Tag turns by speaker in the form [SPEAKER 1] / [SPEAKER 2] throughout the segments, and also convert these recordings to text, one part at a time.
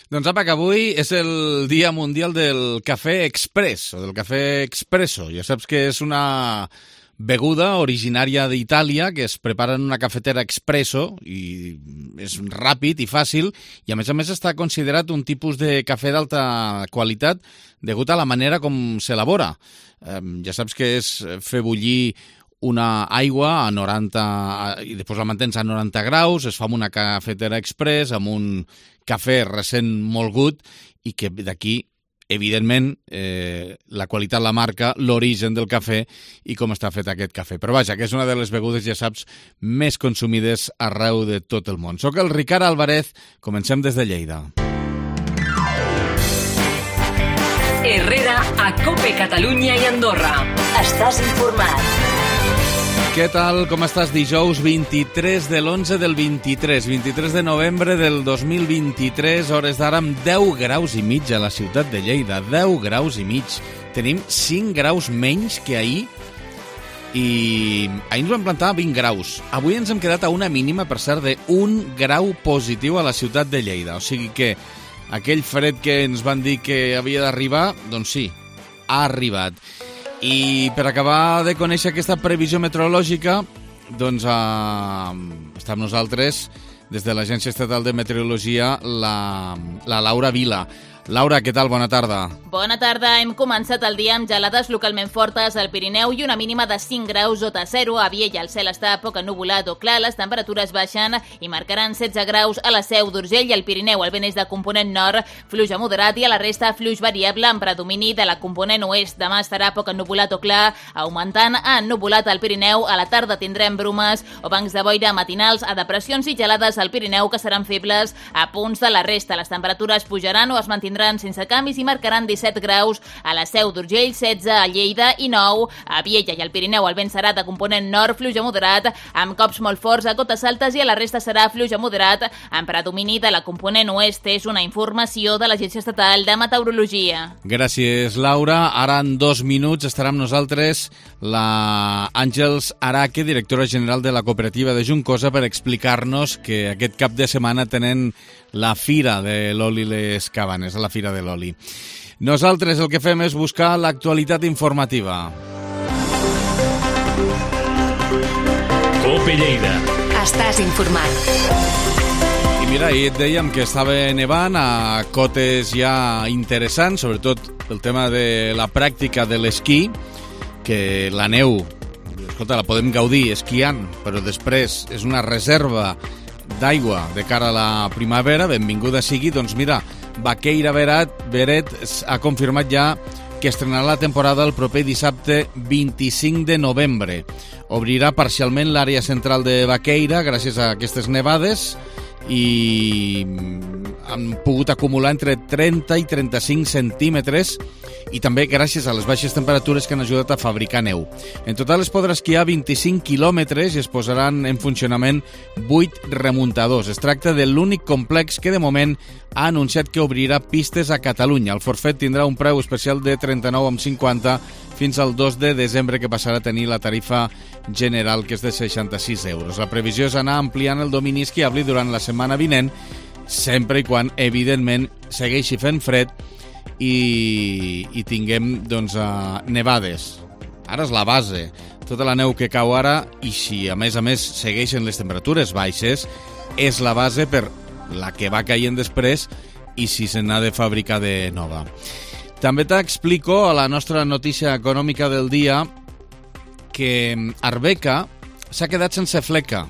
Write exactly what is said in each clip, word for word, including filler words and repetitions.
[SPEAKER 1] Doncs apa, que avui és el Dia Mundial del Cafè Express, o del cafè expresso. Ja saps que és una beguda originària d'Itàlia que es prepara en una cafetera expresso i és ràpid i fàcil i a més a més està considerat un tipus de cafè d'alta qualitat degut a la manera com s'elabora. Eh, ja saps que és fer bullir una aigua a noranta i després la mantens a noranta graus, es fa amb una cafetera express, amb un cafè recent molgut i que d'aquí, evidentment, eh, la qualitat la marca, l'origen del cafè i com està fet aquest cafè. Però vaja, que és una de les begudes, ja saps, més consumides arreu de tot el món. Soc el Ricard Álvarez, comencem des de Lleida.
[SPEAKER 2] Herrera, a COPE Catalunya i Andorra. Estàs informat.
[SPEAKER 1] Què tal? Com estàs? Dijous vint-i-tres de l'onze del vint-i-tres, vint-i-tres de novembre del dos mil vint-i-tres, hores d'ara amb deu graus i mig a la ciutat de Lleida, deu graus i mig. Tenim cinc graus menys que ahir i ahir ens vam plantar a vint graus. Avui ens hem quedat a una mínima, per cert, d'un grau positiu a la ciutat de Lleida. O sigui que aquell fred que ens van dir que havia d'arribar, doncs sí, ha arribat. I per acabar de conèixer aquesta previsió meteorològica, doncs eh, està amb nosaltres, des de l'Agència Estatal de Meteorologia, la, la Laura Vila. Laura, què tal? Bona tarda.
[SPEAKER 3] Bona tarda. Hem començat el dia amb gelades localment fortes al Pirineu i una mínima de cinc graus sota zero. A Viella el cel està poc ennuvolat o clar, les temperatures baixen i marcaran setze graus a la Seu d'Urgell i al Pirineu. El vent és de component nord, fluix a moderat i a la resta fluix variable amb predomini de la component oest. Demà estarà poc ennuvolat o clar, augmentant a ennuvolat al Pirineu. A la tarda tindrem brumes o bancs de boira matinals a depressions i gelades al Pirineu que seran febles a punts de la resta. Les temperatures pujaran o es mantindran sense canvis i marcaran disset graus a la Seu d'Urgell, setze a Lleida i nou a Viella i al Pirineu. El vent serà de component nord, fluix a moderat, amb cops molt forts a cotes altes i a la resta serà fluix a moderat, amb predomini de la component oest. És una informació de l'Agència Estatal de Meteorologia.
[SPEAKER 1] Gràcies, Laura. Ara en dos minuts estarà amb nosaltres la Àngels Araque, directora general de la cooperativa de Juncosa, per explicar-nos que aquest cap de setmana tenen la Fira de l'Oli Les Cabanes, la Fira de l'Oli. Nosaltres el que fem és buscar l'actualitat informativa.
[SPEAKER 2] COPE Lleida.
[SPEAKER 4] Estàs informat.
[SPEAKER 1] I mira, ahir et dèiem que estava nevant a cotes ja interessants, sobretot el tema de la pràctica de l'esquí, que la neu, escolta, la podem gaudir esquiant, però després és una reserva d'aigua de cara a la primavera. Benvinguda sigui. Doncs mira, Baqueira Beret, Beret ha confirmat ja que estrenarà la temporada el proper dissabte vint-i-cinc de novembre. Obrirà parcialment l'àrea central de Baqueira gràcies a aquestes nevades i han pogut acumular entre trenta i trenta-cinc centímetres i també gràcies a les baixes temperatures que han ajudat a fabricar neu. En total es podrà esquiar vint-i-cinc quilòmetres i es posaran en funcionament vuit remuntadors. Es tracta de l'únic complex que de moment ha anunciat que obrirà pistes a Catalunya. El forfet tindrà un preu especial de trenta-nou coma cinquanta fins al dos de desembre, que passarà a tenir la tarifa general, que és de seixanta-sis euros. La previsió és anar ampliant el domini esquiable durant la setmana vinent, sempre i quan, evidentment, segueixi fent fred i, i tinguem doncs, uh, nevades. Ara és la base. Tota la neu que cau ara, i si a més a més segueixen les temperatures baixes, és la base per la que va caient després i si se n'ha de fabricar de nova. També t'explico a la nostra notícia econòmica del dia que Arbeca s'ha quedat sense fleca.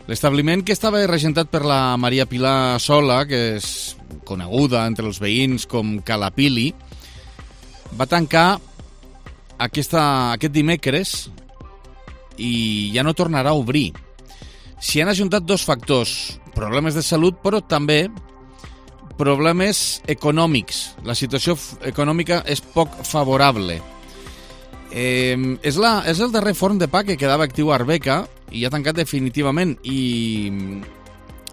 [SPEAKER 1] L'establiment que estava regentat per la Maria Pilar Sola, que és coneguda entre els veïns com Calapili, va tancar aquesta, aquest dimecres i ja no tornarà a obrir. S'hi han ajuntat dos factors, problemes de salut, però també problemes econòmics. La situació econòmica és poc favorable. Eh, és, la, és el darrer forn de pa que quedava actiu a Arbeca i ha tancat definitivament, i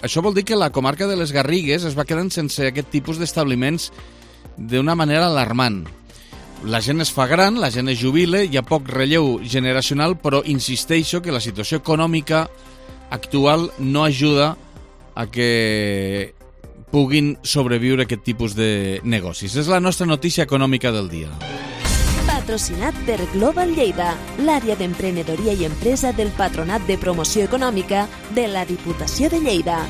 [SPEAKER 1] això vol dir que la comarca de les Garrigues es va quedant sense aquest tipus d'establiments d'una manera alarmant. La gent es fa gran, la gent es jubila, hi ha poc relleu generacional, però insisteixo que la situació econòmica actual no ajuda a que puguin sobreviure aquest tipus de negocis. És la nostra notícia econòmica del dia.
[SPEAKER 5] Patrocinat per Global Lleida, l'àrea d'emprenedoria i empresa del Patronat de Promoció Econòmica de la Diputació de Lleida.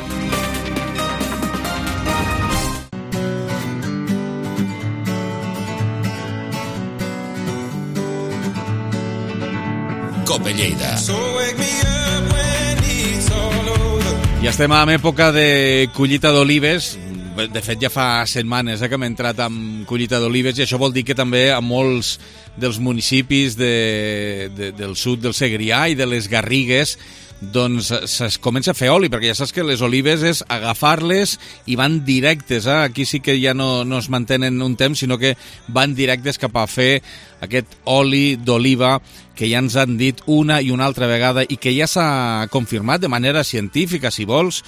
[SPEAKER 6] Cope Lleida.
[SPEAKER 1] I estem en època de collita d'olives. De fet, ja fa setmanes eh, que hem entrat amb collita d'olives i això vol dir que també a molts dels municipis de, de, del sud del Segrià i de les Garrigues doncs es comença a fer oli, perquè ja saps que les olives és agafar-les i van directes, eh? Aquí sí que ja no, no es mantenen un temps, sinó que van directes cap a fer aquest oli d'oliva que ja ens han dit una i una altra vegada i que ja s'ha confirmat de manera científica, si vols,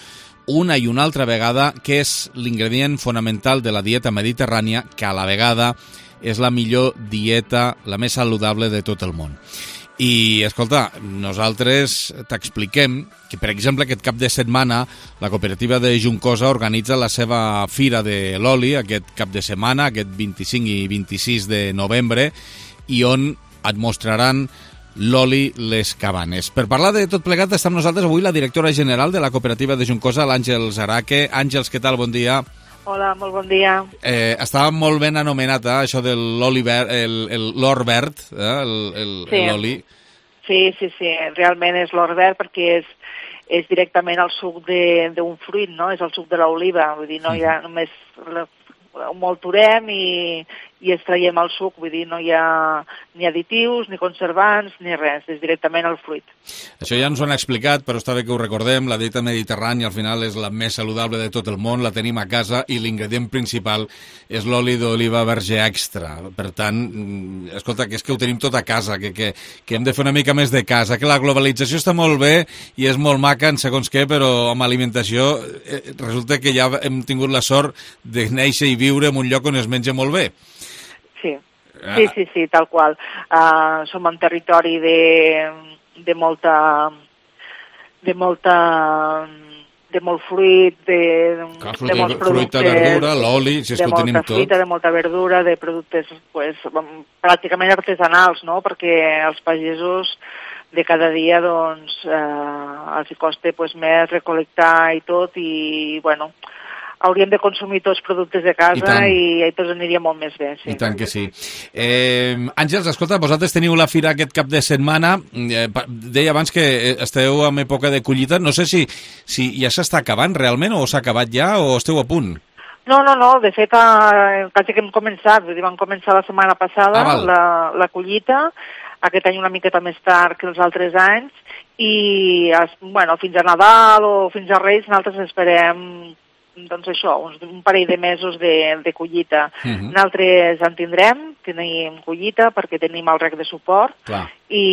[SPEAKER 1] una i una altra vegada, que és l'ingredient fonamental de la dieta mediterrània, que a la vegada és la millor dieta, la més saludable de tot el món. I, escolta, nosaltres t'expliquem que, per exemple, aquest cap de setmana la cooperativa de Juncosa organitza la seva Fira de l'Oli, aquest cap de setmana, aquest vint-i-cinc i vint-i-sis de novembre, i on et mostraran l'oli Les Cabanes. Per parlar de tot plegat està amb nosaltres avui la directora general de la cooperativa de Juncosa, l'Àngels Araque. Àngels, què tal? Bon dia.
[SPEAKER 7] Hola, molt bon dia.
[SPEAKER 1] Eh, estava molt ben anomenat, eh, això de l'oli verd, l'or verd, eh, l'oli.
[SPEAKER 7] Sí. sí, sí, sí, realment és l'or verd perquè és, és directament el suc d'un fruit, no? És el suc de l'oliva, vull dir, no hi ha només... ho molturem i, i extraiem el suc, vull dir, no hi ha ni additius, ni conservants, ni res, és directament el fruit.
[SPEAKER 1] Això ja ens ho han explicat, però està bé que ho recordem, la dieta mediterrània al final és la més saludable de tot el món, la tenim a casa i l'ingredient principal és l'oli d'oliva verge extra. Per tant, escolta, que és que ho tenim tot a casa, que, que, que hem de fer una mica més de casa, que la globalització està molt bé i és molt maca en segons què, però amb alimentació eh, resulta que ja hem tingut la sort de néixer i viure en un lloc on es menja molt bé.
[SPEAKER 7] Sí, sí, sí, sí, tal qual. Uh, som en territori de, de molta... de molta... de molt fruit, de,
[SPEAKER 1] Clar, fruita,
[SPEAKER 7] de molts productes...
[SPEAKER 1] Fruita, verdura, l'oli, si és que ho tenim tot.
[SPEAKER 7] De molta fruita, de molta verdura, de productes pues, pràcticament artesanals, no?, perquè els pagesos de cada dia doncs, eh, els hi costa pues, més recolectar i tot, i, bueno... hauríem de consumir tots productes de casa i, i tots aniria molt més bé. Sí.
[SPEAKER 1] I tant que sí. Eh, Àngels, escolta, vosaltres teniu la fira aquest cap de setmana. Eh, deia abans que esteu en època de collita. No sé si, si ja s'està acabant realment o s'ha acabat ja o esteu a punt.
[SPEAKER 7] No, no, no. De fet, eh, quasi que hem començat. Vam començar la setmana passada ah, la, la collita. Aquest any una miqueta més tard que els altres anys. I, bueno, fins a Nadal o fins a Reis nosaltres esperem doncs això, uns, un parell de mesos de, de collita. Uh-huh. Nosaltres en tindrem, tenim collita perquè tenim el rec de suport.
[SPEAKER 1] Clar.
[SPEAKER 7] I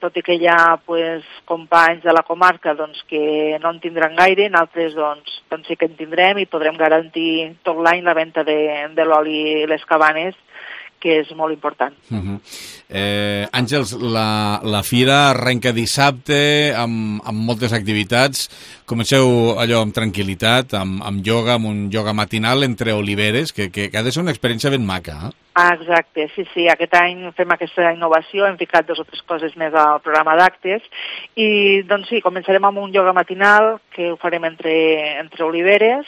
[SPEAKER 7] tot i que hi ha pues, companys de la comarca doncs, que no en tindran gaire, nosaltres doncs, doncs sí que en tindrem i podrem garantir tot l'any la venda de, de l'oli Les Cabanes, que és molt important.
[SPEAKER 1] Uh-huh. eh, Àngels, la, la fira arrenca dissabte amb, amb moltes activitats. Comenceu allò amb tranquil·litat, amb, amb ioga, amb un ioga matinal entre oliveres, que, que, que ha de ser una experiència ben maca. Eh?
[SPEAKER 7] Ah, exacte, sí, sí. Aquest any fem aquesta innovació, hem ficat dues o tres coses més al programa d'actes i doncs sí, començarem amb un ioga matinal que ho farem entre, entre oliveres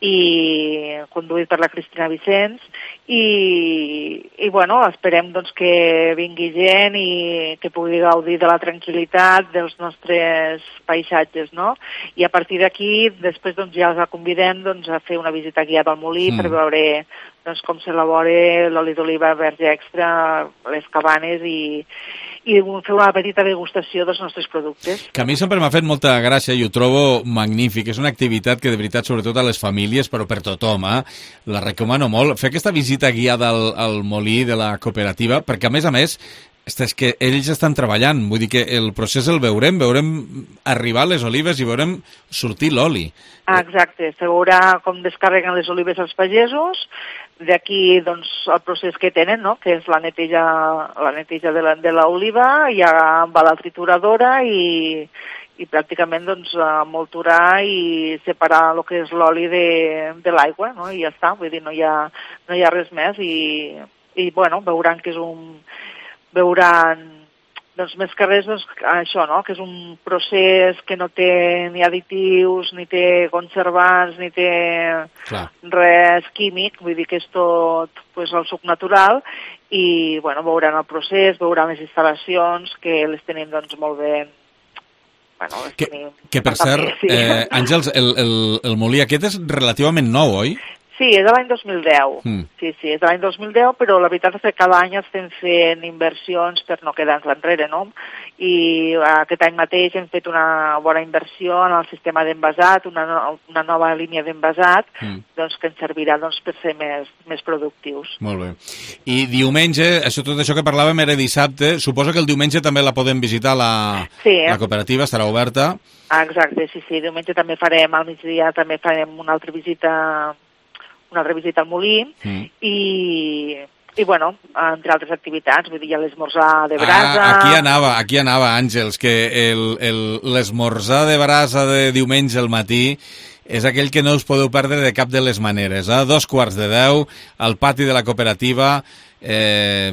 [SPEAKER 7] i conduït per la Cristina Vicens i, i bueno, esperem doncs, que vingui gent i que pugui gaudir de la tranquil·litat dels nostres paisatges, no? I a partir d'aquí, després doncs, ja els convidem doncs, a fer una visita guiada al molí mm. per veure doncs, com s'elabora l'oli d'oliva verge extra, Les Cabanes i, i fer una petita degustació dels nostres productes.
[SPEAKER 1] Que a mi sempre m'ha fet molta gràcia i ho trobo magnífic. És una activitat que de veritat, sobretot a les famílies, però per tothom, eh? La recomano molt. Fer aquesta visita guiada al, al molí de la cooperativa, perquè a més a més És que ells estan treballant, vull dir que el procés el veurem, veurem arribar les olives i veurem sortir l'oli.
[SPEAKER 7] Ah, exacte, se veurà com descarreguen les olives als pagesos, d'aquí doncs, el procés que tenen, no? Que és la neteja, la neteja de l'oliva, ja va a la trituradora i, i pràcticament doncs, molturar i separar el que és l'oli de, de l'aigua, no? I ja està, vull dir, no hi ha, no hi ha res més i, i bueno, veuran que és un... veuran, doncs, més que res, doncs, això, no?, que és un procés que no té ni additius, ni té conservants, ni té Clar. res químic, vull dir que és tot pues, el suc natural, i, bueno, veuran el procés, veuran les instal·lacions, que les tenim, doncs, molt ben... Bueno, les
[SPEAKER 1] que,
[SPEAKER 7] tenim...
[SPEAKER 1] que, per cert, sí. eh, Àngels, el, el, el molí aquest és relativament nou, oi?
[SPEAKER 7] Sí, és de l'any dos mil deu. Mm. Sí, sí, és de l'any dos mil deu, però la veritat és que cada any estem fent inversions per no quedar-nos enrere, no? I aquest any mateix hem fet una bona inversió en el sistema d'envasat, una, no, una nova línia d'envasat, mm. doncs, que ens servirà doncs, per ser més, més productius.
[SPEAKER 1] Molt bé. I diumenge, això, tot això que parlàvem era dissabte, suposo que el diumenge també la podem visitar, la,
[SPEAKER 7] sí,
[SPEAKER 1] la cooperativa estarà oberta.
[SPEAKER 7] Ah, exacte, sí, sí, diumenge també farem, al migdia també farem una altra visita... una altra visita al molí mm. i, i, bueno, entre altres activitats, vull dir, hi ha l'esmorzar de brasa...
[SPEAKER 1] Ah, aquí anava, aquí anava, Àngels, que l'esmorzar de brasa de diumenge al matí és aquell que no us podeu perdre de cap de les maneres. A eh? dos quarts de deu, al pati de la cooperativa, eh,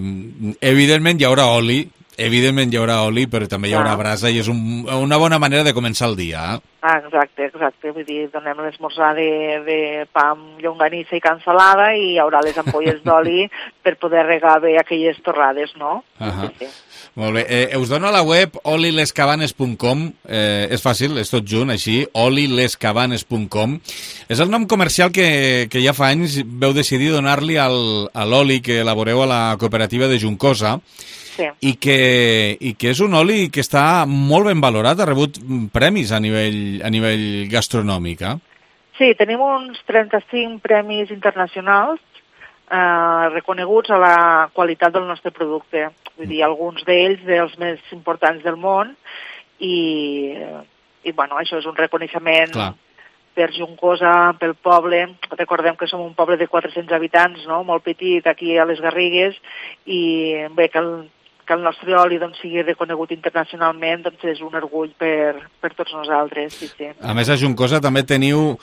[SPEAKER 1] evidentment hi haurà oli, evidentment hi haurà oli, però també hi haurà ah. brasa i és un, una bona manera de començar el dia. Eh?
[SPEAKER 7] Ah, exacte, exacte. Vull dir, donem l'esmorzar de, de pa amb llonganissa i cansalada i hi haurà les ampolles d'oli per poder regar bé aquelles torrades, no?
[SPEAKER 1] Uh -huh. sí, sí. Molt bé. Eh, us dono a la web oli les cabanes punt com. Eh, és fàcil, és tot junt, així, oli les cabanes punt com. És el nom comercial que, que ja fa anys veu decidir donar-li al, a l'oli que elaboreu a la cooperativa de Juncosa. Sí. I, que, i que és un oli que està molt ben valorat, ha rebut premis a nivell, a nivell gastronòmic, eh?
[SPEAKER 7] Sí, tenim uns trenta-cinc premis internacionals eh, reconeguts a la qualitat del nostre producte. Vull dir, alguns d'ells dels més importants del món i, i bueno, això és un reconeixement Clar. per Juncosa, pel poble. Recordem que som un poble de quatre-cents habitants, no? Molt petit, aquí a les Garrigues, i bé, que el que el nostre oli doncs, sigui reconegut internacionalment doncs és un orgull per, per tots nosaltres. Sí, sí.
[SPEAKER 1] A més, a Juncosa també teniu,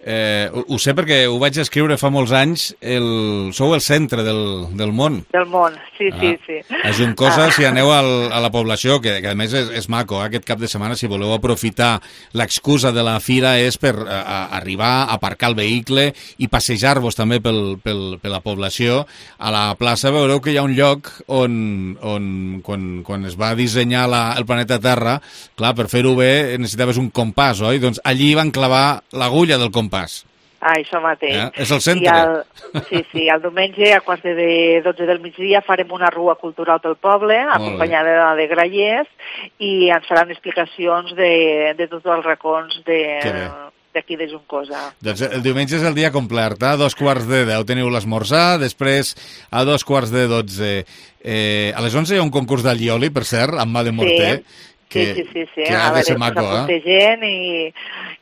[SPEAKER 1] eh, ho, ho sé perquè ho vaig escriure fa molts anys, el, sou el centre del, del món.
[SPEAKER 7] Del món, sí, ah. sí, sí.
[SPEAKER 1] A Juncosa, ah. si aneu al, a la població, que, que a més és, és maco, eh, aquest cap de setmana, si voleu aprofitar l'excusa de la fira és per a, a arribar, aparcar el vehicle i passejar-vos també pel, pel, per la població. A la plaça veureu que hi ha un lloc on, on quan, quan es va dissenyar la, el planeta Terra, clar, per fer-ho bé necessitaves un compàs, oi? Doncs allí van clavar l'agulla del compàs.
[SPEAKER 7] Ah, això mateix.
[SPEAKER 1] Eh? És el centre.
[SPEAKER 7] El, sí, sí, el diumenge a quarts de dotze del migdia farem una rua cultural pel poble, acompanyada de grallers, i ens faran explicacions de, de tots els racons d'aquí de, de Juncosa.
[SPEAKER 1] Doncs el diumenge és el dia complet, a dos quarts de deu teniu l'esmorzar, després a dos quarts de dotze. Eh, a les onze hi ha un concurs d'allioli, per cert, amb mà de morter.
[SPEAKER 7] Sí. Que, sí, sí, sí, sí.
[SPEAKER 1] Que ha de ser maco, eh?
[SPEAKER 7] Gent i,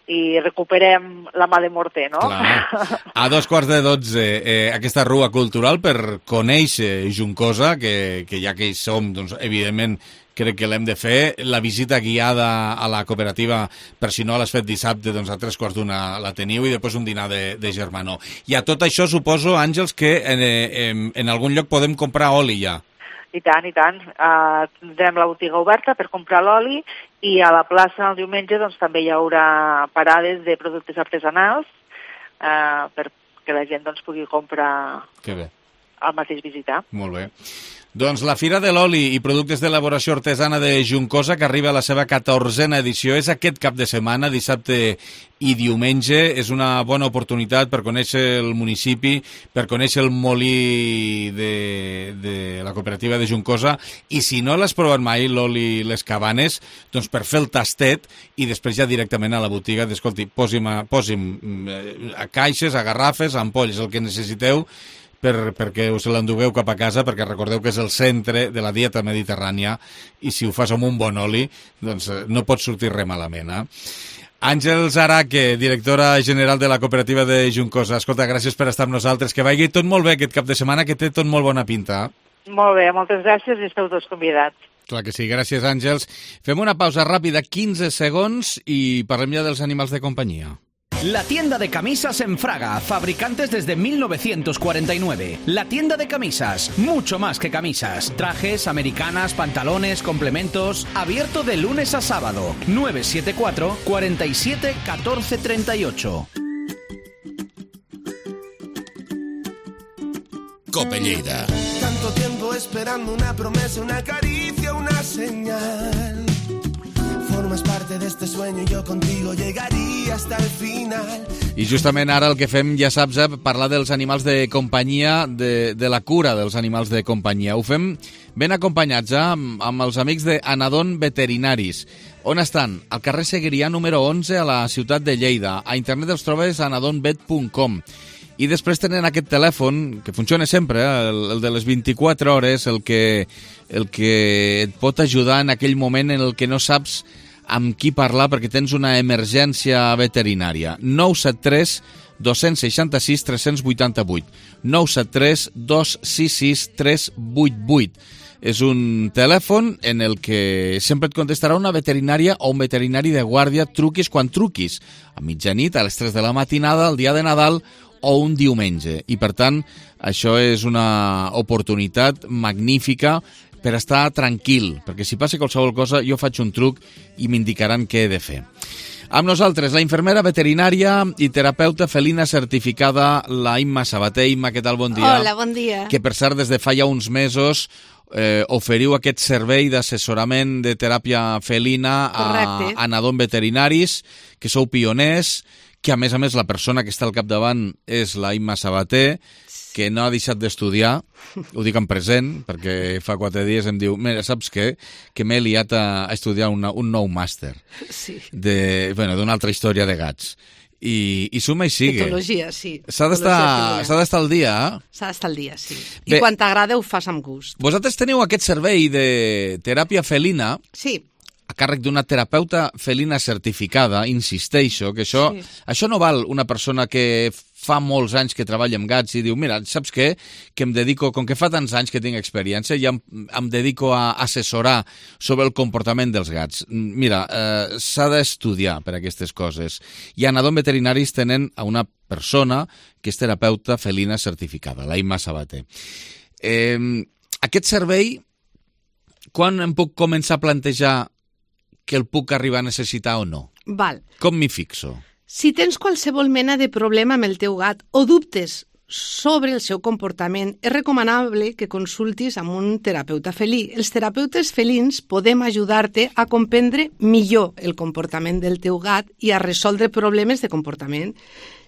[SPEAKER 7] i recuperem la mà de morter, no?
[SPEAKER 1] Clar. A dos quarts de dotze, eh, aquesta rua cultural per conèixer Juncosa, que, que ja que hi som, doncs, evidentment, crec que l'hem de fer. La visita guiada a la cooperativa, per si no l'has fet dissabte, doncs a tres quarts d'una la teniu, i després un dinar de, de germanor. I a tot això suposo, Àngels, que en, en, en algun lloc podem comprar oli ja.
[SPEAKER 7] I tant, i tant. Uh, tindrem la botiga oberta per comprar l'oli i a la plaça el diumenge doncs, també hi haurà parades de productes artesanals uh, perquè la gent doncs, pugui comprar al mateix visitar.
[SPEAKER 1] Molt bé. Doncs la Fira de l'Oli i Productes d'Elaboració Artesana de Juncosa, que arriba a la seva catorzena edició, és aquest cap de setmana, dissabte i diumenge. És una bona oportunitat per conèixer el municipi, per conèixer el molí de, de la cooperativa de Juncosa, i si no l'has provat mai, l'oli Les Cabanes, doncs per fer el tastet i després ja directament a la botiga d'escolti, posi'm, posi'm a caixes, a garrafes, a ampolles, el que necessiteu, per, perquè us l'endugueu cap a casa, perquè recordeu que és el centre de la dieta mediterrània i si ho fas amb un bon oli, doncs no pot sortir res malament, eh? Àngels Araque, directora general de la cooperativa de Juncosa. Escolta, gràcies per estar amb nosaltres. Que vagi tot molt bé aquest cap de setmana, que té tot molt bona pinta.
[SPEAKER 7] Molt bé, moltes gràcies i esteu tots convidats.
[SPEAKER 1] Clar que sí, gràcies Àngels. Fem una pausa ràpida, quinze segons, i parlem ja dels animals de companyia.
[SPEAKER 6] La tienda de camisas en Fraga, fabricantes desde mil novecientos cuarenta y nueve. La tienda de camisas, mucho más que camisas. Trajes, americanas, pantalones, complementos. Abierto de lunes a sábado. nueve siete cuatro, cuarenta y siete, catorce treinta y ocho.
[SPEAKER 8] Cope Lleida.
[SPEAKER 9] Tanto tiempo esperando una promesa, una caricia, una señal. Formas parte de este sueño y yo contigo llegaría hasta el final.
[SPEAKER 1] I justament ara el que fem, ja saps, eh, parlar dels animals de companyia, de, de la cura dels animals de companyia. Ho fem ben acompanyats, eh, amb, amb els amics de Anadon Veterinaris. On estan? Al carrer Seguirià número onze a la ciutat de Lleida. A internet els trobes a anadonvet punt com. I després tenen aquest telèfon, que funciona sempre, eh? el, el de les vint-i-quatre hores, el que, el que et pot ajudar en aquell moment en el que no saps amb qui parlar perquè tens una emergència veterinària. nou set tres, dos sis sis, tres vuit vuit. nou set tres, dos sis sis, tres vuit vuit. És un telèfon en el que sempre et contestarà una veterinària o un veterinari de guàrdia, truquis quan truquis. A mitjanit, a les tres de la matinada, el dia de Nadal o un diumenge. I, per tant, això és una oportunitat magnífica per estar tranquil, perquè si passa qualsevol cosa jo faig un truc i m'indicaran què he de fer. Amb nosaltres, la infermera veterinària i terapeuta felina certificada, la Imma Sabater. Imma, què tal? Bon dia.
[SPEAKER 10] Hola, bon dia.
[SPEAKER 1] Que, per cert, des de fa ja uns mesos eh, oferiu aquest servei d'assessorament de teràpia felina a Anadon Veterinaris, que sou pioners, que a més a més la persona que està al capdavant és la Imma Sabater, que no ha deixat d'estudiar, ho dic en present, perquè fa quatre dies em diu, mira, saps què? Que m'he liat a estudiar una, un nou màster
[SPEAKER 10] sí.
[SPEAKER 1] de, bueno, d'una altra història de gats. I, i suma i sigue.
[SPEAKER 10] Etologia, sí.
[SPEAKER 1] S'ha d'estar al dia, eh?
[SPEAKER 10] S'ha d'estar al dia, sí. I Bé, quan t'agrada ho fas amb gust.
[SPEAKER 1] Vosaltres teniu aquest servei de teràpia felina...
[SPEAKER 10] Sí.
[SPEAKER 1] A càrrec d'una terapeuta felina certificada, insisteixo, que això, sí. això no val una persona que fa molts anys que treballa amb gats i diu, mira, saps què? Que em dedico, com que fa tants anys que tinc experiència, ja em, em dedico a assessorar sobre el comportament dels gats. Mira, eh, s'ha d'estudiar per aquestes coses. I a Anadon Veterinaris tenen a una persona que és terapeuta felina certificada, la Imma Sabater. Eh, aquest servei, quan em puc començar a plantejar que el puc arribar a necessitar o no?
[SPEAKER 10] Val.
[SPEAKER 1] Com m'hi fixo?
[SPEAKER 10] Si tens qualsevol mena de problema amb el teu gat o dubtes sobre el seu comportament, és recomanable que consultis amb un terapeuta felí. Els terapeutes felins podem ajudar-te a comprendre millor el comportament del teu gat i a resoldre problemes de comportament.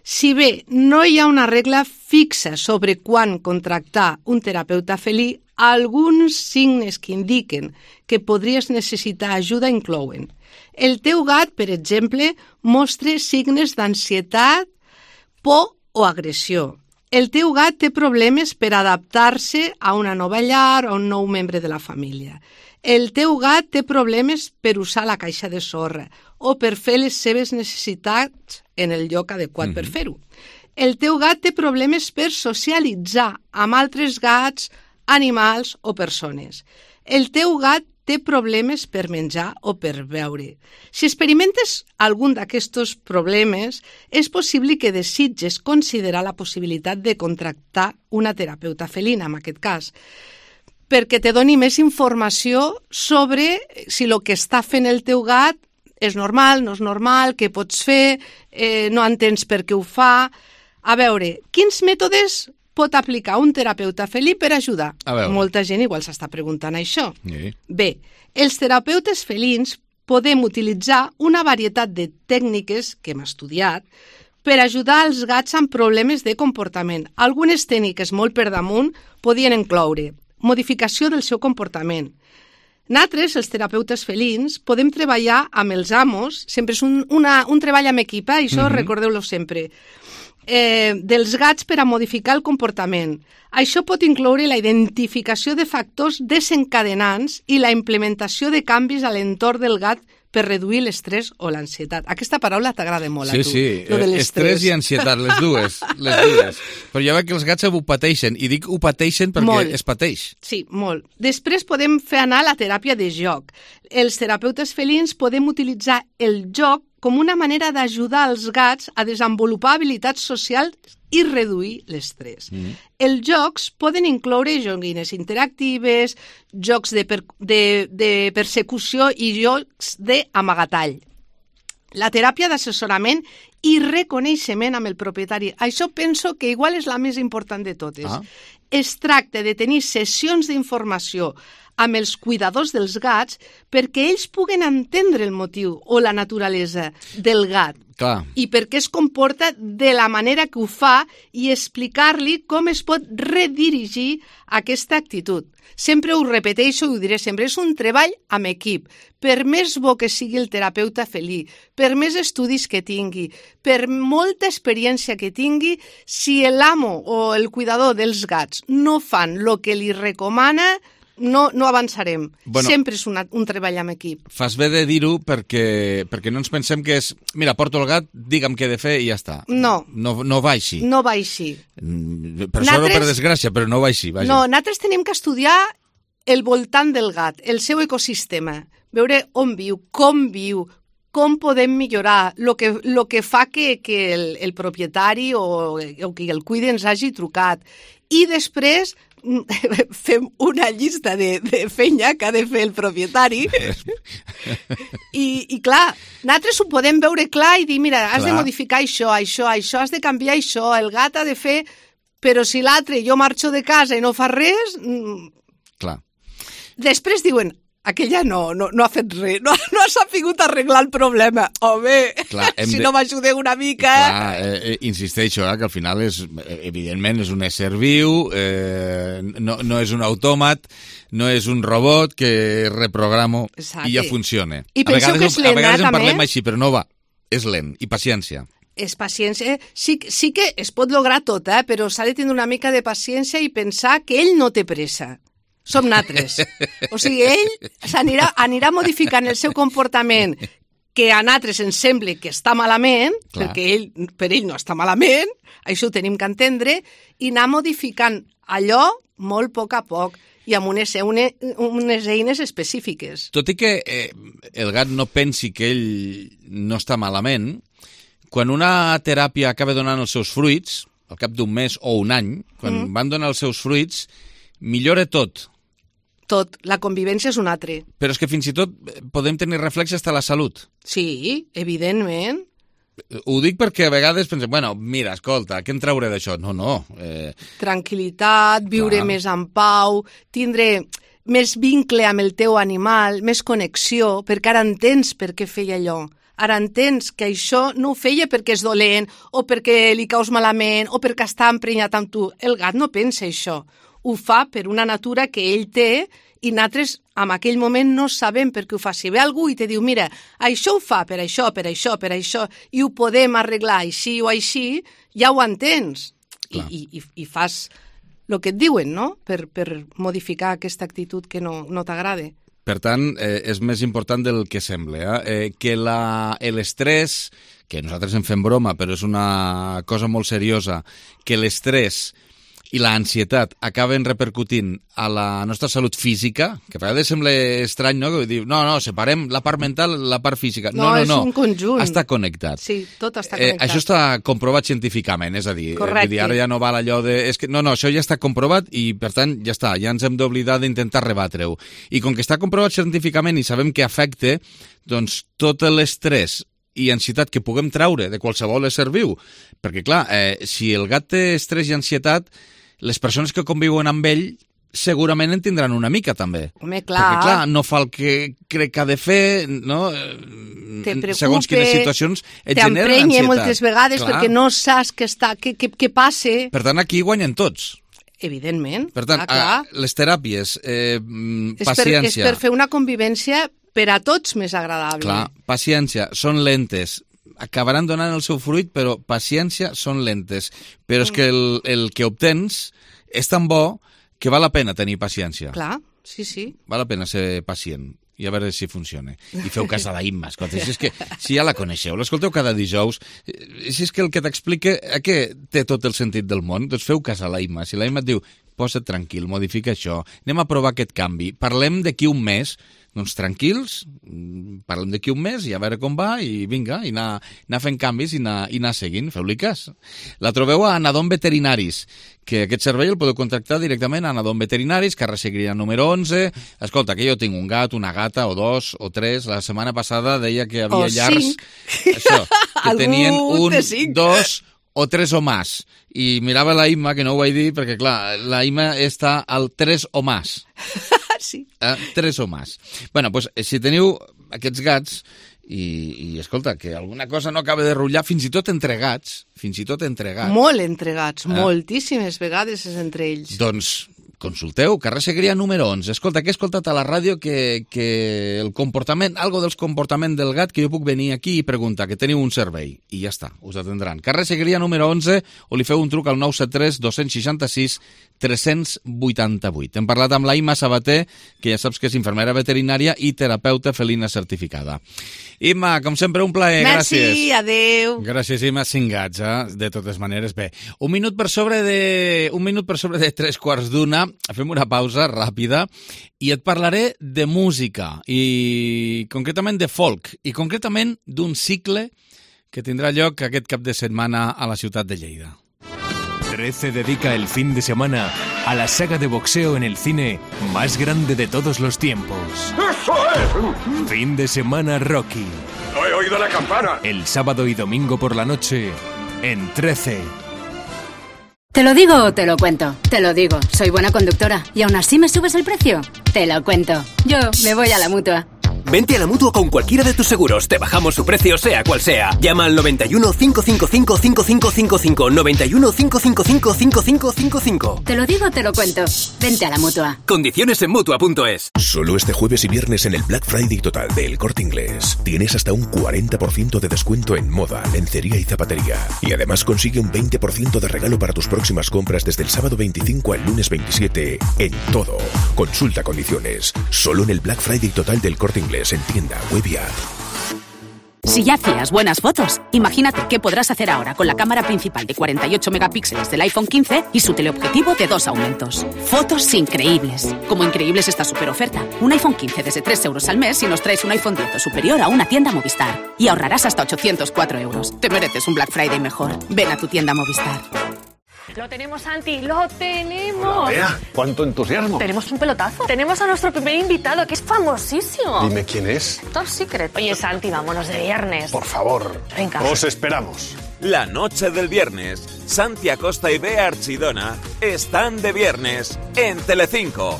[SPEAKER 10] Si bé no hi ha una regla fixa sobre quan contractar un terapeuta felí, alguns signes que indiquen que podries necessitar ajuda inclouen: el teu gat, per exemple, mostra signes d'ansietat, por o agressió. El teu gat té problemes per adaptar-se a una nova llar o a un nou membre de la família. El teu gat té problemes per usar la caixa de sorra o per fer les seves necessitats en el lloc adequat mm-hmm. per fer-ho. El teu gat té problemes per socialitzar amb altres gats, animals o persones. El teu gat té problemes per menjar o per beure. Si experimentes algun d'aquests problemes, és possible que desitges considerar la possibilitat de contractar una terapeuta felina, en aquest cas, perquè te doni més informació sobre si el que està fent el teu gat és normal, no és normal, què pots fer, eh, no entens per què ho fa. A veure, quins mètodes pot aplicar un terapeuta felí per ajudar? Molta gent igual s'està preguntant això.
[SPEAKER 1] Sí.
[SPEAKER 10] Bé, els terapeutes felins podem utilitzar una varietat de tècniques que hem estudiat per ajudar els gats amb problemes de comportament. Algunes tècniques molt per damunt podien incloure modificació del seu comportament. Nosaltres, els terapeutes felins, podem treballar amb els amos, sempre és un, una, un treball amb equip, eh? Això mm-hmm. recordeu-lo sempre. eh, dels gats per a modificar el comportament. Això pot incloure la identificació de factors desencadenants i la implementació de canvis a l'entorn del gat per reduir l'estrès o l'ansietat. Aquesta paraula t'agrada molt a
[SPEAKER 1] sí,
[SPEAKER 10] tu.
[SPEAKER 1] Sí,
[SPEAKER 10] lo de
[SPEAKER 1] sí, estrès i ansietat, les dues, les dues. Però ja veig que els gats ho pateixen, i dic ho pateixen perquè
[SPEAKER 10] molt.
[SPEAKER 1] Es pateix.
[SPEAKER 10] Sí, molt. Després podem fer anar la teràpia de joc. Els terapeutes felins podem utilitzar el joc com una manera d'ajudar els gats a desenvolupar habilitats socials i reduir l'estrès. Mm. Els jocs poden incloure joguines interactives, jocs de, per, de, de persecució i jocs d'amagatall. La teràpia d'assessorament i reconeixement amb el propietari. Això penso que igual és la més important de totes. Ah. Es tracta de tenir sessions d'informació amb els cuidadors dels gats perquè ells puguen entendre el motiu o la naturalesa del gat.
[SPEAKER 1] Clar.
[SPEAKER 10] I per què es comporta de la manera que ho fa i explicar-li com es pot redirigir aquesta actitud. Sempre ho repeteixo i ho diré sempre, és un treball amb equip. Per més bo que sigui el terapeuta felí, per més estudis que tingui, per molta experiència que tingui, si l'amo o el cuidador dels gats no fan el que li recomana, no, no avançarem. Bueno, sempre és una, un treball amb equip.
[SPEAKER 1] Fas bé de dir-ho perquè, perquè no ens pensem que és mira, porto el gat, digue'm què he de fer i ja està.
[SPEAKER 10] No.
[SPEAKER 1] No, no va així.
[SPEAKER 10] No va així.
[SPEAKER 1] Per sort o per desgràcia, però no va així. Vaja.
[SPEAKER 10] No, nosaltres tenim que estudiar el voltant del gat, el seu ecosistema, veure on viu, com viu, com podem millorar, el que, lo que fa que, que el, el propietari o, o que el cuide ens hagi trucat. I després fem una llista de, de feina que ha de fer el propietari I, i clar, nosaltres ho podem veure clar i dir, mira, has clar. de modificar això, això, això, has de canviar això, el gat ha de fer, però si l'altre jo marxo de casa i no fa res...
[SPEAKER 1] Clar.
[SPEAKER 10] Després diuen, aquella no, no, no ha fet res, no, no ha sapigut arreglar el problema. Home, clar, si de... no m'ajudeu una mica...
[SPEAKER 1] Clar, eh, eh, insisteixo, eh, que al final és, evidentment, és un ésser viu, eh, no, no és un autòmat, no és un robot que reprogramo
[SPEAKER 10] Exacte.
[SPEAKER 1] I ja funciona.
[SPEAKER 10] I penso
[SPEAKER 1] vegades,
[SPEAKER 10] que és lent,
[SPEAKER 1] a vegades en
[SPEAKER 10] també.
[SPEAKER 1] parlem així, però no va, és lent, i paciència.
[SPEAKER 10] És paciència. Sí, sí que es pot lograr tot, eh, però s'ha de tenir una mica de paciència i pensar que ell no té pressa. Som natres. O sigui, ell s'anirà anirà modificant el seu comportament que a natres ens sembla que està malament, clar. Perquè ell, per ell no està malament, això ho tenim que entendre, i anar modificant allò molt a poc a poc i amb unes, une, unes eines específiques.
[SPEAKER 1] Tot i que eh, el gat no pensi que ell no està malament, quan una teràpia acaba donant els seus fruits, al cap d'un mes o un any, quan mm. van donar els seus fruits, millora tot.
[SPEAKER 10] Tot, la convivència és un altre.
[SPEAKER 1] Però és que fins i tot podem tenir reflex fins a la salut.
[SPEAKER 10] Sí, evidentment.
[SPEAKER 1] Ho dic perquè a vegades pensem, bueno, mira, escolta, què en trauré d'això? No, no. Eh...
[SPEAKER 10] Tranquil·litat, viure clar. Més en pau, tindre més vincle amb el teu animal, més connexió, perquè ara entens per què feia allò. Ara entens que això no ho feia perquè és dolent, o perquè li caus malament, o perquè està emprenyat amb tu. El gat no pensa això. Ho fa per una natura que ell té i nosaltres en aquell moment no sabem per què ho fa. Si ve algú i te diu, mira, això ho fa per això, per això, per això, i ho podem arreglar així o així, ja ho entens. I, i, i fas el que et diuen, no?, per, per modificar aquesta actitud que no, no t'agrada.
[SPEAKER 1] Per tant, eh, és més important del que sembla, eh? Eh, que la, l'estrès, que nosaltres en fem broma, però és una cosa molt seriosa, que l'estrès i l'ansietat acaben repercutint a la nostra salut física, que a vegades sembla estrany, no?, que diu, no, no, separem la part mental i la part física.
[SPEAKER 10] No, no, no,
[SPEAKER 1] és no.
[SPEAKER 10] un conjunt.
[SPEAKER 1] Està connectat.
[SPEAKER 10] Sí, tot està connectat.
[SPEAKER 1] Eh, això està comprovat científicament, és a dir,
[SPEAKER 10] correcte.
[SPEAKER 1] Dir, ara ja no val allò de... És que, no, no, això ja està comprovat i, per tant, ja està, ja ens hem d'oblidar d'intentar rebatre-ho. I com que està comprovat científicament i sabem que afecta, doncs tot l'estrès i ansietat que puguem traure de qualsevol ésser viu, perquè, clar, eh, si el gat té estrès i ansietat, les persones que conviuen amb ell segurament en tindran una mica, també.
[SPEAKER 10] Home, clar.
[SPEAKER 1] Perquè, clar, no fa el que crec que ha de fer, no?
[SPEAKER 10] Te preocupe,
[SPEAKER 1] segons quines situacions et generen ansietat.
[SPEAKER 10] T'emprenya moltes vegades clar. Perquè no saps què, està, què, què, què passa.
[SPEAKER 1] Per tant, aquí guanyen tots.
[SPEAKER 10] Evidentment.
[SPEAKER 1] Per tant,
[SPEAKER 10] ah,
[SPEAKER 1] a, les teràpies, eh,
[SPEAKER 10] és
[SPEAKER 1] paciència...
[SPEAKER 10] Per, és per fer una convivència per a tots més agradable.
[SPEAKER 1] Clar, paciència, són lentes, acabaran donant el seu fruit, però paciència són lentes. Però és que el, el que obtens és tan bo que val la pena tenir paciència.
[SPEAKER 10] Clar, sí, sí.
[SPEAKER 1] Val la pena ser pacient i a veure si funciona. I feu cas a la Imma, escolta, si és que si ja la coneixeu, l'escolteu cada dijous, si és que el que t'explica què té tot el sentit del món, doncs feu cas a la Imma. Si la Imma et diu, posa't tranquil, modifica això, anem a provar aquest canvi, parlem d'aquí un mes, doncs tranquils, parlem d'aquí un mes i a veure com va i vinga, i anar, anar fent canvis i anar, i anar seguint, feu-li cas. La trobeu a Anadom Veterinaris, que aquest servei el podeu contractar directament a Anadom Veterinaris, carrer Segrià número onze. Escolta, que jo tinc un gat, una gata, o dos, o tres. La setmana passada deia que hi havia
[SPEAKER 10] o
[SPEAKER 1] llars...
[SPEAKER 10] Cinc.
[SPEAKER 1] Això, que tenien
[SPEAKER 10] Algú
[SPEAKER 1] un,
[SPEAKER 10] de cinc.
[SPEAKER 1] dos o tres o más. I mirava la Imma, que no ho vaig dir, perquè clar, la Imma està al tres o más.
[SPEAKER 10] Sí.
[SPEAKER 1] Eh, tres o más. Bueno, doncs, si teniu aquests gats i, i, escolta, que alguna cosa no acaba de rutllar, fins i tot entre gats, fins i tot entre gats.
[SPEAKER 10] Molt entregats,
[SPEAKER 1] Eh?
[SPEAKER 10] moltíssimes vegades és entre ells.
[SPEAKER 1] Doncs consulteu, carrer Segrià número onze. Escolta, que he escoltat a la ràdio que, que el comportament, algo dels comportaments del gat, que jo puc venir aquí i preguntar, que teniu un servei. I ja està, us atendran. Carrer Segrià número onze, o li feu un truc al nou set tres dos seixanta sis tres vuit vuit. Hem parlat amb la Imma Sabater, que ja saps que és infermera veterinària i terapeuta felina certificada. Imma, com sempre, un plaer.
[SPEAKER 10] Merci,
[SPEAKER 1] Gràcies.
[SPEAKER 10] adeu.
[SPEAKER 1] Gràcies, Imma. Cinc gats, eh? De totes maneres. Bé, un minut per sobre de, un minut per sobre de tres quarts d'una. Fem una pausa ràpida i et parlaré de música i concretament de folk i concretament d'un cicle que tindrà lloc aquest cap de setmana a la ciutat de Lleida.
[SPEAKER 8] trece dedica el fin de semana a la saga de boxeo en el cine más grande de todos los tiempos.
[SPEAKER 11] ¡Eso es!
[SPEAKER 8] Fin de semana Rocky.
[SPEAKER 11] ¡No he oído la campana!
[SPEAKER 8] El sábado y domingo por la noche en trece.
[SPEAKER 12] ¿Te lo digo o te lo cuento? Te lo digo, soy buena conductora. ¿Y aún así me subes el precio? Te lo cuento. Yo me voy a la Mutua.
[SPEAKER 13] Vente a la Mutua con cualquiera de tus seguros. Te bajamos su precio, sea cual sea. Llama al noventa y uno, cinco cinco cinco, cinco cinco cinco cinco. noventa y uno, cinco cinco cinco, cinco cinco cinco cinco.
[SPEAKER 12] Te lo digo o te lo cuento. Vente a la Mutua.
[SPEAKER 13] Condiciones en Mutua punto es.
[SPEAKER 14] Solo este jueves y viernes en el Black Friday total de El Corte Inglés tienes hasta un cuarenta por ciento de descuento en moda, lencería y zapatería. Y además consigue un veinte por ciento de regalo para tus próximas compras desde el sábado veinticinco al lunes veintisiete en todo. Consulta condiciones. Solo en el Black Friday total del Corte Inglés en tienda, web y app.
[SPEAKER 15] Si ya hacías buenas fotos, imagínate qué podrás hacer ahora con la cámara principal de cuarenta y ocho megapíxeles del iPhone quince y su teleobjetivo de dos aumentos. Fotos increíbles. Como increíbles esta super oferta. Un iPhone quince desde tres euros al mes si nos traes un iPhone diez o superior a una tienda Movistar. Y ahorrarás hasta ochocientos cuatro euros. Te mereces un Black Friday mejor. Ven a tu tienda Movistar.
[SPEAKER 16] Lo tenemos, Santi, lo tenemos.
[SPEAKER 11] Vea, cuánto entusiasmo.
[SPEAKER 16] Tenemos un pelotazo. Tenemos a nuestro primer invitado, que es famosísimo.
[SPEAKER 11] Dime quién es.
[SPEAKER 16] Top secret. Oye, Santi, vámonos de viernes.
[SPEAKER 11] Por favor.
[SPEAKER 16] Venga.
[SPEAKER 11] Os esperamos.
[SPEAKER 17] La noche del viernes, Santi Acosta y Bea Archidona están de viernes en Telecinco.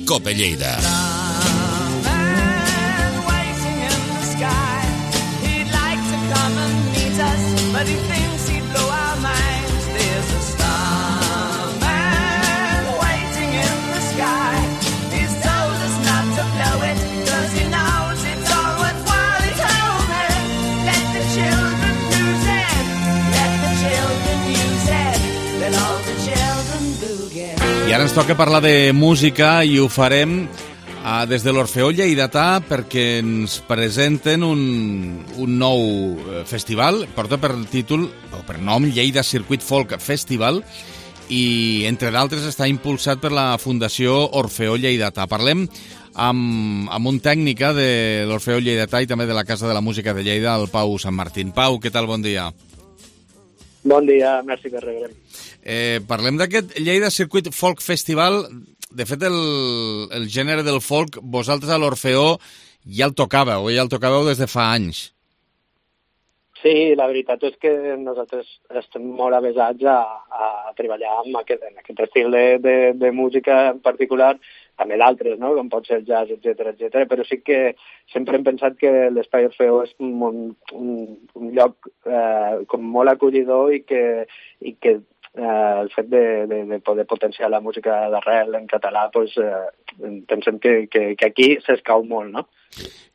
[SPEAKER 18] Cope Lleida.
[SPEAKER 9] But he thinks he'd blow our minds. There's a starman waiting in the sky. He's told us not to blow it, cause he knows it's all worthwhile. He told me, let the children use it, let the children use it, let all the children boogie.
[SPEAKER 1] I ara ens toca parlar de música i ho farem Uh, des de l'Orfeó Lleidatà perquè ens presenten un, un nou uh, festival, porta per títol o per nom Lleida Circuit Folk Festival i entre d'altres està impulsat per la Fundació Orfeó Lleidatà. Parlem amb, amb un tècnica de l'Orfeó Lleidatà i també de la Casa de la Música de Lleida, el Pau Sant Martín. Pau, què tal? Bon dia.
[SPEAKER 19] Bon dia, merci per rebre.
[SPEAKER 1] Eh, parlem d'aquest Lleida Circuit Folk Festival. De fet, el, el gènere del folk, vosaltres a l'Orfeó ja el tocàveu, ja el tocàveu des de fa anys.
[SPEAKER 19] Sí, la veritat és que nosaltres estem molt avesats a, a treballar amb aquest, en aquest estil de, de, de música en particular, també d'altres, no? Com pot ser el jazz, etcètera, etcètera. Però sí que sempre hem pensat que l'Espai Orfeó és un, un, un lloc eh, com molt acollidor i que, i que eh, el fet de, de, de poder potenciar la música d'arrel en català, pues, eh, pensem que, que, que aquí s'escau molt, no?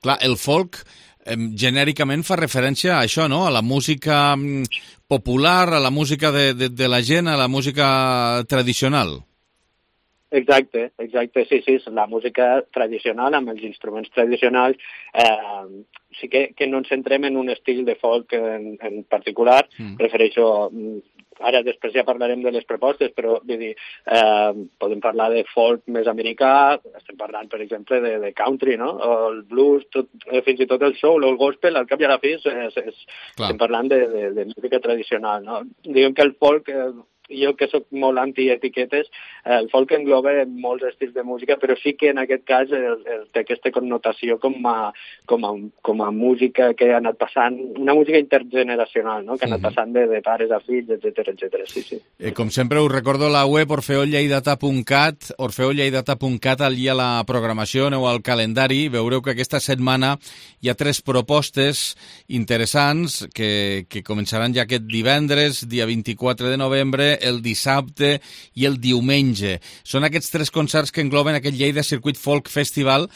[SPEAKER 1] Clar, el folk eh, genèricament fa referència a això, no? A la música popular, a la música de, de, de la gent, a la música tradicional.
[SPEAKER 19] Exacte, exacte, sí, sí, la música tradicional amb els instruments tradicionals, eh, sí que, que no ens centrem en un estil de folk en, en particular, mm. prefereixo, ara després ja parlarem de les propostes, però vull dir, eh, podem parlar de folk més americà, estem parlant, per exemple, de, de country, no? O el blues, tot, eh, fins i tot el soul o el gospel, al cap i a la fi, és, és, és, estem parlant de, de, de música tradicional, no? Diguem que el folk... Eh, jo que soc molt anti-etiquetes, el folk engloba molts estils de música, però sí que en aquest cas el, el, té aquesta connotació com a, com, a, com a música que ha anat passant, una música intergeneracional, no? Que ha anat passant de, de pares a fills, etcètera, etcètera. Sí, sí.
[SPEAKER 1] Eh, com sempre us recordo la web orfeo lleidata punt cat, orfeo lleidata punt cat, allà a la programació, aneu al calendari, veureu que aquesta setmana hi ha tres propostes interessants que, que començaran ja aquest divendres, dia vint-i-quatre de novembre, el dissabte i el diumenge. Són aquests tres concerts que engloben aquest Lleida Circuit Folk Festival,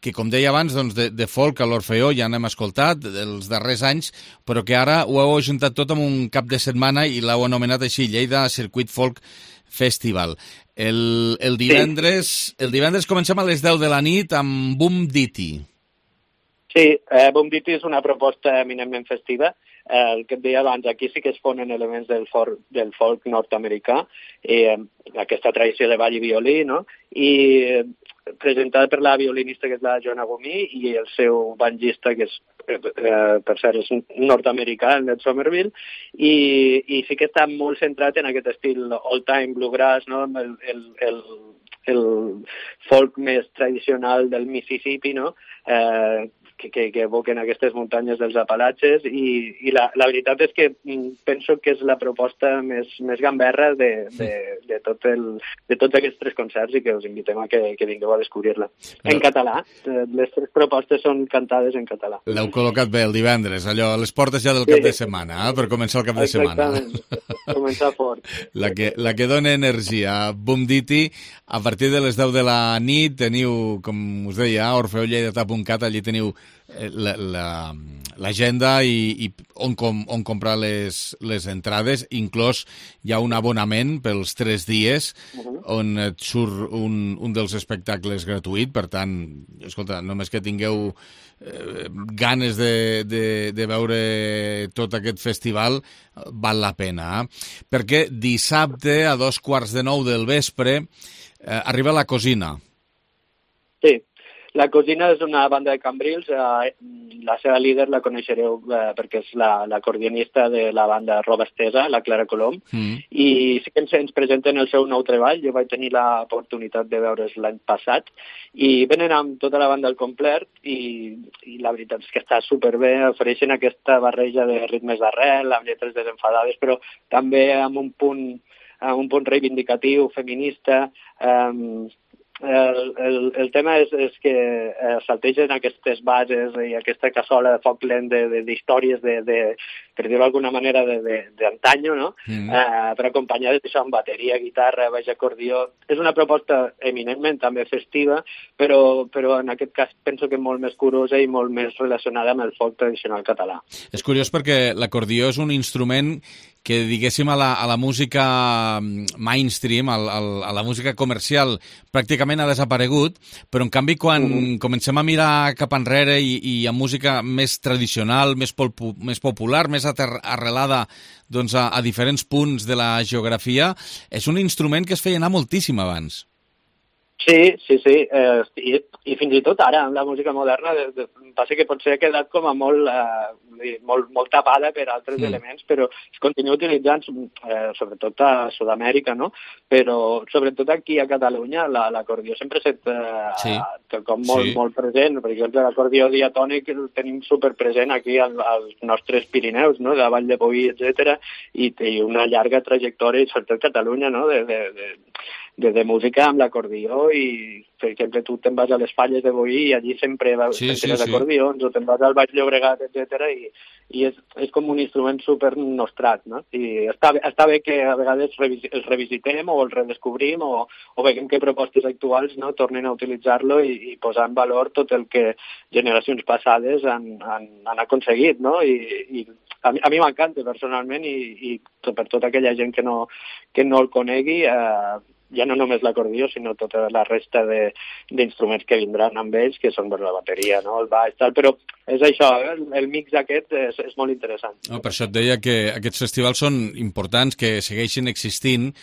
[SPEAKER 1] que, com deia abans, doncs, de, de folk a l'Orfeó ja n'hem escoltat els darrers anys, però que ara ho heu ajuntat tot en un cap de setmana i l'heu anomenat així, Lleida Circuit Folk Festival. El, el, divendres, el divendres comencem a les deu de la nit amb Boom Ditty.
[SPEAKER 19] Sí, eh, Boom Ditty és una proposta eminentment festiva. Eh, el que et deia abans, aquí sí que es fonen elements del folk, del folk nord-americà, eh, aquesta tradició de ball i violí, no? I eh, presentada per la violinista que és la Joanna Gomí i el seu banjista que és, eh, per cert, és nord-americà, el Ned Somerville, i, i sí que està molt centrat en aquest estil old-time bluegrass, no? El, el, el, el folk més tradicional del Mississippi, no? Eh, Que, que, que evoquen aquestes muntanyes dels Apalatxes i, i la, la veritat és que penso que és la proposta més, més gamberra de, de, de, tot el, de tots aquests tres concerts i que us invitem a que, que vingueu a descobrir-la. En català, les tres propostes són cantades en català.
[SPEAKER 1] L'heu col·locat bé el divendres, allò, a les portes ja del cap sí. de setmana, eh, per començar el cap de setmana.
[SPEAKER 19] Exactament, començar fort.
[SPEAKER 1] La que, la que dona energia. Boom Ditty, a partir de les deu de la nit teniu, com us deia, orfeo lleidata punt cat, allí teniu l'agenda la, la, i, i on, com, on comprar les, les entrades, inclòs hi ha un abonament pels tres dies uh-huh. on et surt un, un dels espectacles gratuït, per tant, escolta, només que tingueu eh, ganes de, de, de veure tot aquest festival, val la pena. Eh? Perquè dissabte a dos quarts de nou del vespre eh, arriba La Cosina.
[SPEAKER 19] Sí. La Cosina és una banda de Cambrils, eh, la seva líder la coneixereu eh, perquè és l'acordionista la, de la banda Roba Estesa, la Clara Colom, mm. i sí que ens, ens presenten el seu nou treball. Jo vaig tenir l'oportunitat de veure's l'any passat i venen amb tota la banda al complet i, i la veritat és que està superbé, ofereixen aquesta barreja de ritmes d'arrel, amb lletres desenfadades, però també amb un punt, amb un punt reivindicatiu, feminista. Eh, El, el, el tema és, és que eh, saltegen aquestes bases i aquesta cassola de foc lent d'històries de, de, de, per dir-ho d'alguna manera, d'antanyo, no? Mm. Eh, per acompanyar d'això amb bateria, guitarra, baix acordió. És una proposta eminentment també festiva, però, però en aquest cas penso que molt més curosa i molt més relacionada amb el folk tradicional català.
[SPEAKER 1] És curiós perquè l'acordió és un instrument que, diguéssim, a la, a la música mainstream, a, a la música comercial, pràcticament ha desaparegut, però en canvi quan mm. comencem a mirar cap enrere i, i a música més tradicional, més, polpu, més popular, més arrelada doncs, a, a diferents punts de la geografia, és un instrument que es feia anar moltíssim abans.
[SPEAKER 19] Sí, sí, sí, eh, i, i fins i tot ara, amb la música moderna, de, de, passa que potser ha quedat com a molt, eh, molt, molt tapada per altres mm. elements, però es continua utilitzant, eh, sobretot a Sud-amèrica, no? Però sobretot aquí a Catalunya l'acordió sempre s'ha eh, sí. com molt, sí. molt present. Per exemple, l'acordió diatònic el tenim superpresent aquí als, als nostres Pirineus, no? De Vall de Boí, etcètera, i té una llarga trajectòria, sobretot a Catalunya, no? De, de, de, de, de música amb l'acordió i, per exemple, tu te'n vas a les Falles de Boí i allí sempre
[SPEAKER 1] sí, sí, sí.
[SPEAKER 19] acordions, o te'n vas al Baix Llobregat, etcètera i, i és, és com un instrument super nostrat, no? I està, està bé que a vegades revis, els revisitem o els redescobrim o, o veiem que propostes actuals, no, tornen a utilitzar-lo i, i posar en valor tot el que generacions passades han, han, han aconseguit, no? I, i a mi, a mi m'encanta personalment i, i per tota aquella gent que no, que no el conegui, eh, ja no només l'acordió, sinó tota la resta d'instruments que vindran amb ells, que són bueno, la bateria, no? El baix, tal, però és això, el, el mix aquest és, és molt interessant.
[SPEAKER 1] No, per això et deia que aquests festivals són importants, que segueixin existint,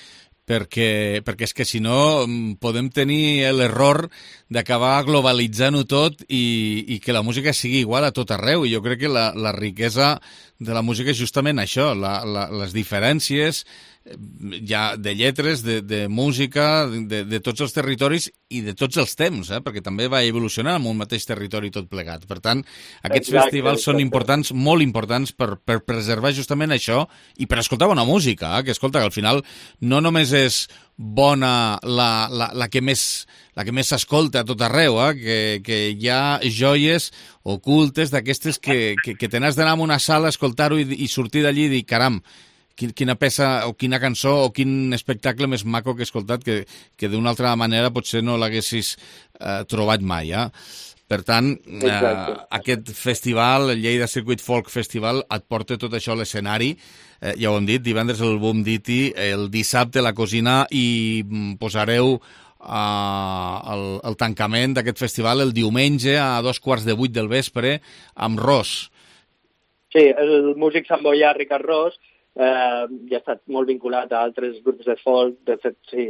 [SPEAKER 1] perquè, perquè és que si no podem tenir l'error d'acabar globalitzant-ho tot i, i que la música sigui igual a tot arreu. I jo crec que la, la riquesa de la música és justament això, la, la, les diferències ja de lletres, de, de música, de, de tots els territoris i de tots els temps, eh? Perquè també va evolucionar en un mateix territori tot plegat. Per tant, aquests exacte, festivals exacte. Són importants, molt importants per, per preservar justament això i per escoltar bona música, eh? Que escolta, que al final no només és bona la, la, la que més la que més s'escolta a tot arreu, eh? que, que hi ha joies ocultes d'aquestes que, que, que te n'has d'anar a una sala a escoltar-ho i, i sortir d'allí i dir, caram, quina peça o quina cançó o quin espectacle més maco que he escoltat que, que d'una altra manera potser no l'haguessis eh, trobat mai. Eh? Per tant, eh, aquest festival, el Lleida Circuit Folk Festival, et porta tot això a l'escenari. Eh, ja ho hem dit, divendres el Boom Diti, el dissabte la Cosina i posareu eh, el, el tancament d'aquest festival el diumenge a dos quarts de vuit del vespre amb Ros.
[SPEAKER 19] Sí, el músic samboià Ricard Ros Eh, ja ha estat molt vinculat a altres grups de folk, de fet, sí,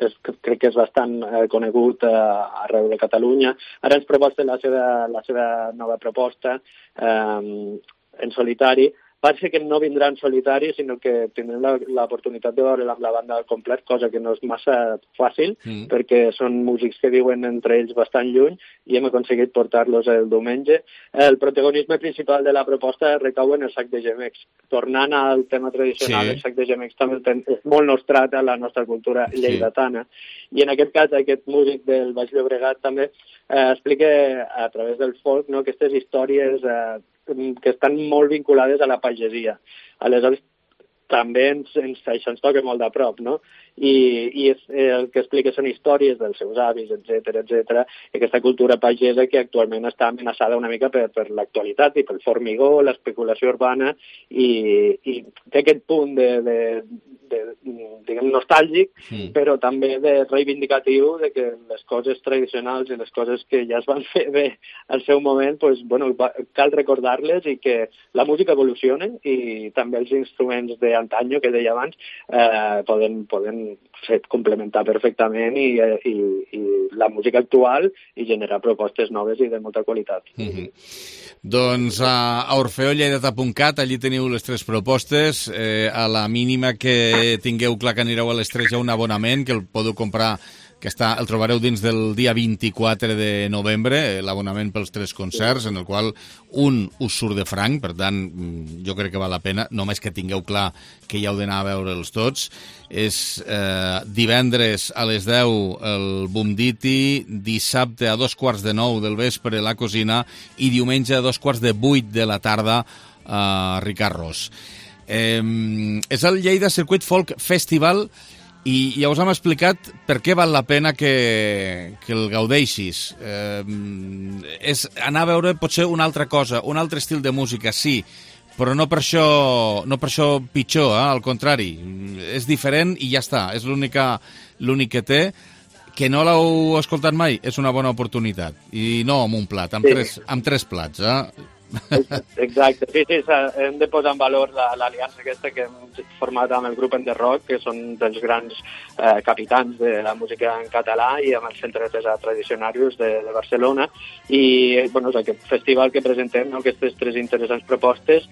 [SPEAKER 19] és, crec que és bastant eh, conegut eh, arreu de Catalunya. Ara ens proposa la seva, la seva nova proposta eh, en solitari. Va ser que no vindrà en solitari, sinó que tindrem l'oportunitat de veure'l amb la banda al complet, cosa que no és massa fàcil, mm. perquè són músics que viuen entre ells bastant lluny i hem aconseguit portar-los el diumenge. El protagonisme principal de la proposta recau en el sac de gemecs. Tornant al tema tradicional, sí. El sac de gemecs també és molt nostrat a la nostra cultura lleidatana. Sí. I en aquest cas, aquest músic del Baix Llobregat també eh, explica a través del folk, no, aquestes històries eh, que estan molt vinculades a la pagesia. Aleshores, també ens, ens, això ens toca molt de prop, no? I, i és, el que explica són històries dels seus avis, etcètera, etcètera, i aquesta cultura pagesa que actualment està amenaçada una mica per, per l'actualitat i pel formigó, l'especulació urbana, i, i té aquest punt de, de, de, diguem, nostàlgic, sí. Però també de reivindicatiu de que les coses tradicionals i les coses que ja es van fer bé al seu moment, pues, bueno, cal recordar-les i que la música evoluciona i també els instruments d'antanyo, que deia abans, eh, poden, poden fet complementar perfectament i, i, i la música actual i generar propostes noves i de molta qualitat.
[SPEAKER 1] Mm-hmm. Doncs a, a orfeo lleidata punt cat, allí teniu les tres propostes. Eh, a la mínima que tingueu clar que anireu a les tres hi ha un abonament que el podeu comprar, que està, el trobareu dins del dia vint-i-quatre de novembre, l'abonament pels tres concerts, en el qual un us surt de franc, per tant, jo crec que val la pena, només que tingueu clar que hi heu d'anar a veure'ls tots. És eh, divendres a les deu el Boom Diti, dissabte a dos quarts de nou del vespre la Cosina i diumenge a dos quarts de vuit de la tarda a eh, Ricard Ros. Eh, és el Lleida Circuit Folk Festival i ja us hem explicat per què val la pena que, que el gaudeixis. Eh, és anar a veure potser una altra cosa, un altre estil de música, sí, però no per això, no per això pitjor, eh? Al contrari, és diferent i ja està, és l'única, l'únic que té. Que no l'heu escoltat mai, és una bona oportunitat. I no amb un plat, amb, sí. tres, amb tres plats, eh?
[SPEAKER 19] Exacte, sí, sí, hem de posar en valor l'aliança aquesta que hem format amb el grup En The Rock, que són dels grans eh, capitans de la música en català, i amb el Centre de Pesat Tradicionarius de, de Barcelona, i bueno, és aquest festival que presentem, no, aquestes tres interessants propostes,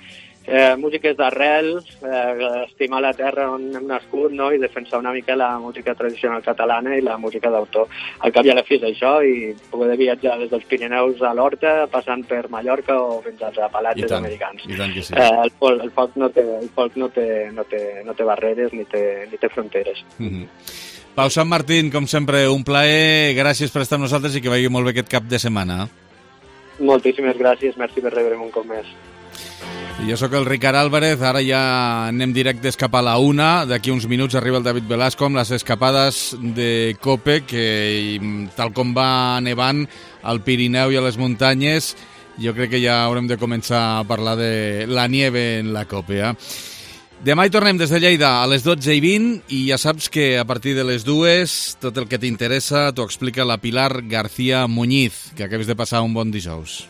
[SPEAKER 19] eh, músiques d'arrel, eh, estimar la terra on hem nascut, no, i defensar una mica la música tradicional catalana i la música d'autor. Al cap i a la fi és això, i poder viatjar des dels Pirineus a l'Horta, passant per Mallorca o fins als Apalatges americans.
[SPEAKER 1] I tant que sí.
[SPEAKER 19] Eh, el, folk, el folk, no té, el folk no, té, no, té, no té barreres ni té, ni té fronteres.
[SPEAKER 1] Mm-hmm. Pau Sant Martín, com sempre, un plaer, gràcies per estar amb nosaltres i que vagi molt bé aquest cap de setmana.
[SPEAKER 19] Moltíssimes gràcies, merci per rebre'm un cop més.
[SPEAKER 1] Jo sóc el Ricard Álvarez, ara ja anem directes cap a la una, d'aquí uns minuts arriba el David Velasco amb les escapades de COPE, que tal com va nevant al Pirineu i a les muntanyes, jo crec que ja haurem de començar a parlar de la nieve en la COPE. Eh? Demà hi tornem des de Lleida a les dotze i vint i ja saps que a partir de les dues tot el que t'interessa t'ho explica la Pilar García Muñiz. Que acabes de passar un bon dijous.